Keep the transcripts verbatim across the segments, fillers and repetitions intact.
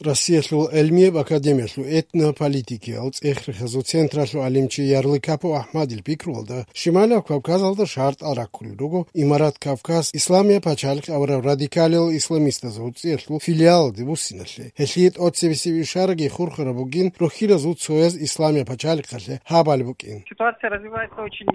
Россиялъул гӀелмияб академиялъул этнополитикиял цӀех-рехазул централъул гӀалимчи Ярлыкапов АхӀмадил пикруялда, Шималияб Кавказалда шартӀал раккулел руго Имарат Кавказ Исламияб пачалихъ абураб радикалиял исламистазул гӀуцӀиялъул филиалалде буссиналъе. Гьелъие тӀоцебесеб ишараги хурхараб бугин рухьилазул цояз Исламияб пачалихъалъе гьабали букӀин. Ситуация развивается очень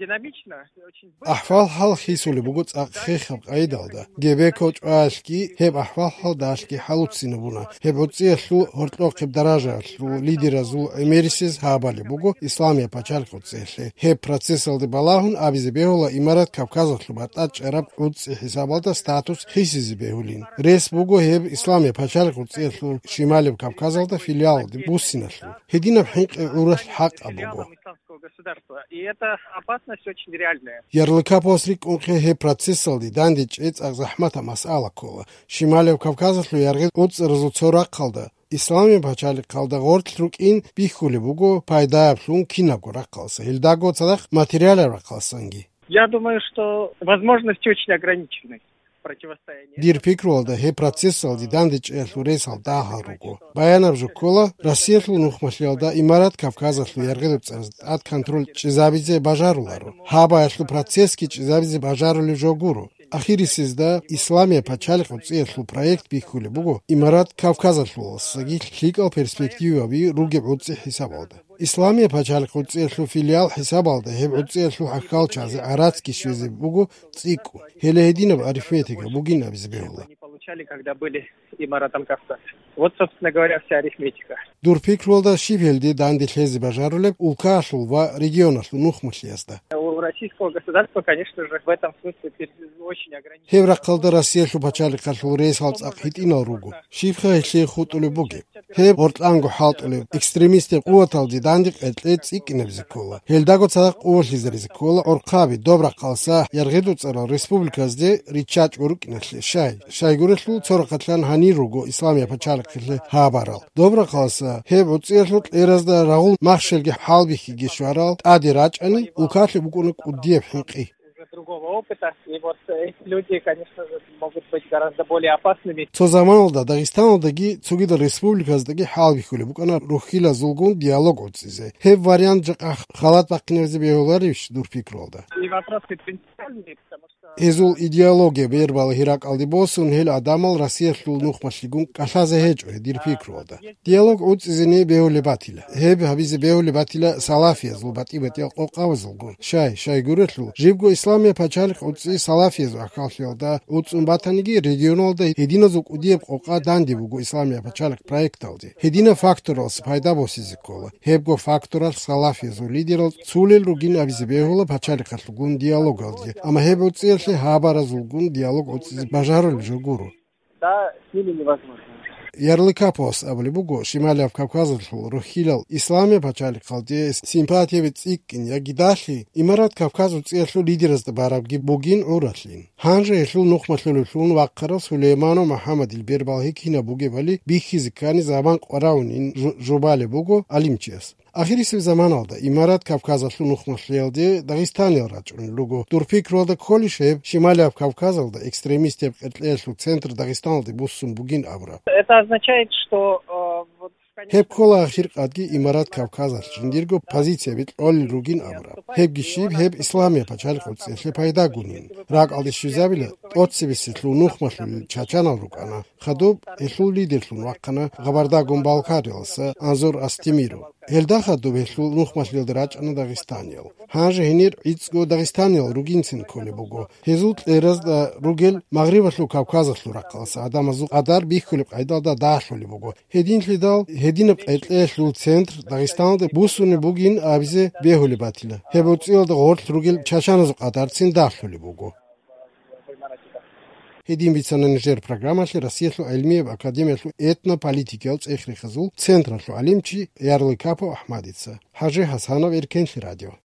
динамично, очень быстро. АхӀвал-хӀал хисулеб буго цӀакъ хехаб къайдалда. Гебеков чӀваялъги гьеб ахӀвал-хӀалдалъги хӀалуццинабуна. Гьеб гӀуцӀиялъул гьоркьохъеб даражаялъул лидеразул гӀемерисез гьабали буго Исламияб пачалихъ гӀуцӀиялъе. Гьеб процессалде балагьун абизе бегьула Имарат Кавказалъул батӀа чӀараб гӀуцӀи хӀисабалда статус хисизе бегьулин. Рес буго гьеб Исламияб пачалихъ гӀуцӀиялъул Шималияб Кавказалда филиалалде буссиналъул. Гьединаб хӀинкъи гӀуралъ хӀакъаб буго. Исламского государства. И эта опасность очень реальная. Ярлыкаповас рикӀкӀунхъе гьеб процессалде дандечӀей цӀакъ захӀматаб масъала ккола. Шималияб Кавказалъул яргъи гӀуцӀаразул цо рахъалда, Исламияб пачалихъалда гъорлъ рукӀин бихьулеб буго пайдаяблъун кинабго рахъалса, гьелдаго цадахъ материалаб рахъалсанги. Я думаю, что возможности очень ограничены противостояния. Дир пикруялда, гьеб процессалде дандечӀеялъул ресал дагьал руго. Баянаб жо ккола, Россиялъул нухмалъиялда Имарат Кавказалъул яргъидуцараз тӀад контроль чӀезабизе бажаруларо. Гьабаялъул процессги чӀезабизе бажарулеб жо гуро. Ахирисезда Исламияб пачалихъ гӀуцӀиялъул проект бихьулеб буго Имарат Кавказалъуласаги лъикӀал перспективаби ругеб гӀуцӀи хӀисабалда. Исламияб пачалихъ гӀуцӀиялъул филиал хӀисабалда гьеб гӀуцӀиялъул хӀахьалчазе гӀарацги щвезе буго цӀикӀкӀун. Гьеле гьединаб арифметика бугин абизе бегьула. Они получали, когда были Имаратом Кавказ. Вот, собственно говоря, вся арифметика. Дур пикруялда, щиб гьелде данде лъезе бажарулеб улкаялъул ва регионалъул нухмалъиязда? У российского государства, конечно же, в этом смысле пер-, очень ограничено. Гьеб рахъалда Россиялъул пачалихъалъул рейсал цӀакъ гьитӀинал руго. Щибха гьелъие хутӀулеб бугеб? Гьеб гъоркьанго хӀалтӀулеб экстремистаб къуваталде данде къеркьей цӀикӀкӀинабизе ккола. Гьелдаго цадахъ къувалъизаризе ккола гӀорхъаби, доб рахъалса яргъидуцарал республиказде риччачӀго рукӀиналъе. Щай? Щайгурелъул цо рахъалъан гьанир руго Исламияб пачалихъалъе гьабарал. Доб рахъалса гьеб гӀуцӀиялъул кьеразда рагъул махщелги хӀалбихьиги щварал тӀаде рачӀани, улкалъе букӀуна кӀудияб хӀинкъи. Уже другого опыта. И вот эти люди, конечно же, могут быть гораздо более опасными. Цо заманалда Дагъистаналдаги цогидал республиказдаги хӀалбихьулеб букӀана рухьилазулгун диалог гӀуцӀизе. Гьеб вариант жакъа халат бахъинабизе бегьуларищ дур пикруялда? И вопросы принципиальные, потому что Гьезул идеология бербала гьиракӀалде босун, гьел гӀадамал Россиялъул нухмалъигун кӀалъазе гьечӀо гьедир пикруялда. Диалог гӀуцӀизене бегьулеб батила. Гьеб гьабизе бегьулеб батила салафиязул батӀи-батӀиял къокъабазулгун. Щай, щайгурелъул, жибго Исламияб пачалихъ гӀуцӀи салафиязул ахӀаллъиялда гӀуцӀун батаниги, регионалда гьединазул кӀудияб къокъа данде буго Исламияб пачалихъ проекталде. Гьединаб факторалъ пайда босизе ккола. Гьебго факторалъ салафиязул лидерал цулел ругин абизе бегьула пачалихъалъулгун диалогалде, амма гьеб гӀуцӀиялъе гьабаразулгун диалог гӀуцӀизе бажарулеб жо гуро. Да, с ними невозможно. Ярлыкаповас абулеб буго, Шималияб Кавказалъул рухьилал Исламияб пачалихъалде симпатияби цӀикӀкӀин яги далъи Имарат Кавказ гӀуцӀиялъул лидеразда барабги бугин гӀуралъин. Гьанже гьелъул нухмалъулевлъун вахъарав Сулейманов МухӀаммадил бербал гьикинаб бугебали бихьизе ккани заман къваравунин жу-, жубалеб буго гӀалимчияс. Ахирисеб заманалда Имарат Кавказалъул нухмалъиялде дагъистаниял рачӀунел руго. Дур пикруялда кколищ гьеб Шималияб Кавказалда экстремистияб къеркьеялъул центр Дагъистаналде буссун бугин абураб? Это означает, что, э, вот в конечном Гьеб ккола ахиркъадги Имарат Кавказалъ жиндирго позицияби кьолел ругин абураб. Гьебги щиб, гьеб Исламияб пачалихъ гӀуцӀиялъе пайдагунин. РакӀалде щвезабила, тӀоцебесеблъун нухмалъулел чачанал рукӀана. Хадуб гьелъул лидерлъун вахъана Гъабардагун Балкариялса Анзор Астемиров. Гьелда хадуб гьелъул нухмалъиялда рачӀана дагъистаниял. Гьанже гьенир гӀицӀго дагъистаниял ругинцин кколеб буго. Гьезул кьеразда ругел Магърибалъул Кавказалъул рахъалса гӀадамазул къадар бихьулеб къайдалда дагьлъулеб буго. Гьединлъидал гьединаб къеркьеялъул центр Дагъистаналде буссунеб бугин абизе бегьулеб батила. Гьеб гӀуцӀиялда гъорлъ ругел чачаназул къадарцин дагьлъулеб буго. Гьедин бицана нижер программалъе Россиялъул гӀелмияб академиялъул этнополитикиял цӀех-рехазул централъул гӀалимчи Ярлыкапов АхӀмадица. ХӀажи ХӀасанов, Эркенлъи радио.